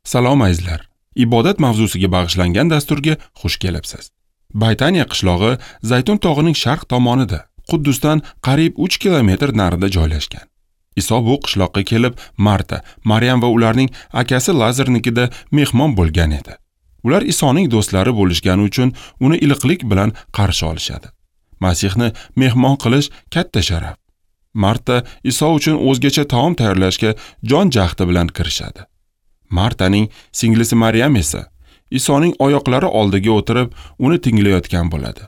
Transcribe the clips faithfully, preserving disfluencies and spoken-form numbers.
Salom azizlar. Ibodat mavzusiga bag'ishlangan dasturga xush kelibsiz. Baytaniya qishlog'i Zaytun tog'ining sharq tomonida, Quddusdan qariyb uch kilometr narida joylashgan. Iso bu qishloqqa kelib, Marta, Maryam va ularning akasi Lazarnikida mehmon bo'lgan edi. Ular Isoning do'stlari bo'lishgani uchun uni iliqlik bilan qarshi olishadi. Masihni mehmon qilish katta sharaf. Marta Iso uchun o'zgacha taom tayyorlashga jon jahdi bilan kirishadi. Martaning singlisi Maryam esa Isoning oyoqlari oldiga o'tirib, uni tinglayotgan bo'ladi.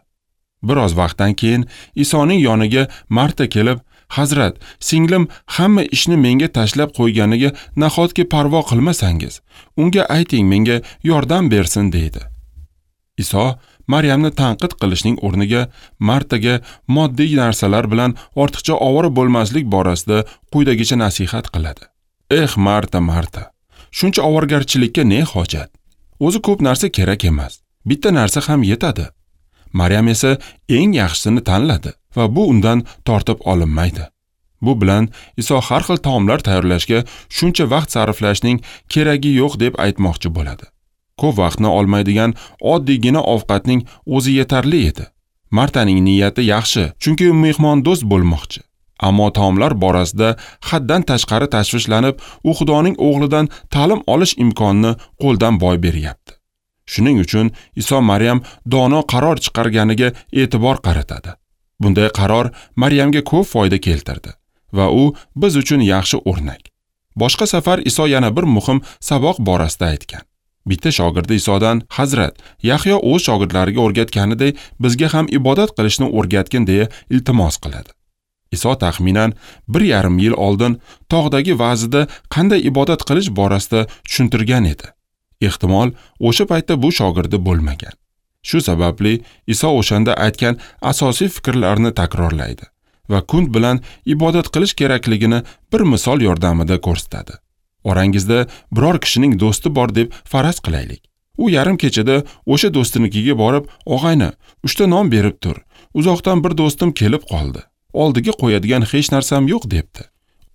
Biroz vaqtdan keyin Isoning yoniga Marta kelib, "Hazrat, singlim hamma ishni menga tashlab qo'yganiga nahotki parvo qilmasangiz, unga ayting menga yordam bersin" deydi. Iso Maryamni tanqid qilishning o'rniga Martaga moddiy narsalar bilan ortiqcha ovora bo'lmaslik borasida quyidagicha nasihat qiladi. "Eh Marta, Marta, shuncha ovoragarchilikka ne hojat? O'zi ko'p narsa kerak emas. Bitta narsa ham yetadi." Maryam esa eng yaxshisini tanladi va bu undan tortib olinmaydi. Bu bilan Iso har xil taomlar tayyorlashga shuncha vaqt sarflashning keragi yo'q deb aytmoqchi bo'ladi. Ko'p vaqtni olmaydigan oddiygina ovqatning o'zi yetarli edi. Martaning niyati yaxshi, chunki u mehmondo'st bo'lmoqchi. Ammo taomlar borasida haddan tashqari tashvishlanib, u Xudoning o'g'lidan ta'lim olish imkonini qo'ldan boy beryapti. Shuning uchun Iso Maryam dono qaror chiqarganiga e'tibor qaratadi. Bunday qaror Maryamga ko'p foyda keltirdi va u biz uchun yaxshi o'rnak. Boshqa safar Iso yana bir muhim saboq borasida aytgan. Bitta shogirdi Isodan, "Hazrat, Yahyo o'z shogirdlariga o'rgatganiday bizga ham ibodat qilishni o'rgatgin" deya iltimos qiladi. Iso taxminan bir yarim yil oldin tog'dagi va'zida qanday ibodat qilish borasida tushuntirgan edi. Ehtimol o'sha paytda bu shogirdi bo'lmagan. Shu sababli Iso o'shanda aytgan asosiy fikrlarni takrorlaydi va kunt bilan ibodat qilish kerakligini bir misol yordamida ko'rsatadi. Orangizda biror kishining do'sti bor deb faraz qilaylik. U yarim kechada o'sha do'stinikiga borib, "Og'ayni, uchta non berib tur. Uzoqdan bir do'stim kelib qoldi. Oldiga qo'yadigan hech narsam yo'q" debdi.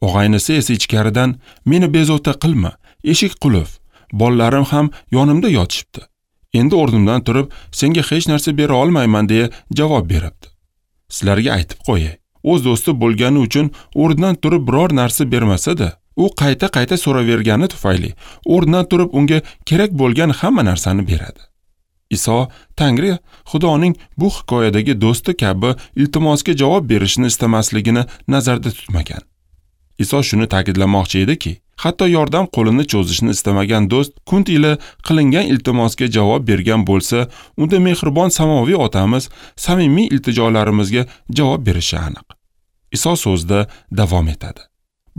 Og'aynisi esa ichkaridan, "Meni bezovta qilma, eshik qulf, bolalarim ham yonimda yotishibdi. Endi o'rnimdan turib, senga hech narsa bera olmayman" deya javob beribdi. Sizlarga aytib qo'yay, o'z do'sti bo'lgani uchun o'rnidan turib biror narsa bermasa-da, u qayta-qayta so'ravergani tufayli o'rnidan turib unga kerak bo'lgan hamma narsani beradi. Iso Tangri Xudoning bu hikoyadagi do'sti kabi iltimosga javob berishini istamasligini nazarda tutmagan. Iso shuni ta'kidlamoqchi ediki, hatto yordam qo'lini cho'zishni istamagan do'st kunt ila qilingan iltimosga javob bergan bo'lsa, unda mehribon samoviy otamiz samimiy iltijolarimizga javob berishi aniq. Iso so'zda davom etadi.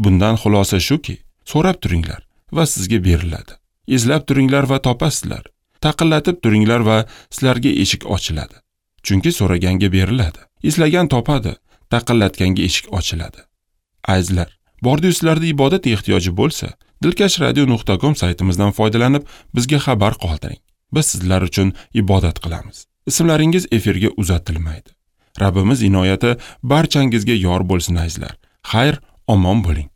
Bundan xulosa shuki, so'rab turinglar va sizga beriladi. Izlab turinglar va topasizlar. Taqillatib turinglar va sizlarga eshik ochiladi. Chunki so'raganga beriladi, izlagan topadi, taqillatganga eshik ochiladi. Azizlar, bordi sizlarda ibodat ehtiyoji bo'lsa, dilkash radio nuqta com saytimizdan foydalanib bizga xabar qoldiring. Biz sizlar uchun ibodat qilamiz. Ismlaringiz efirga uzatilmaydi. Rabbimiz inoyati barchangizga yor bo'lsin azizlar. Xayr, omon bo'ling.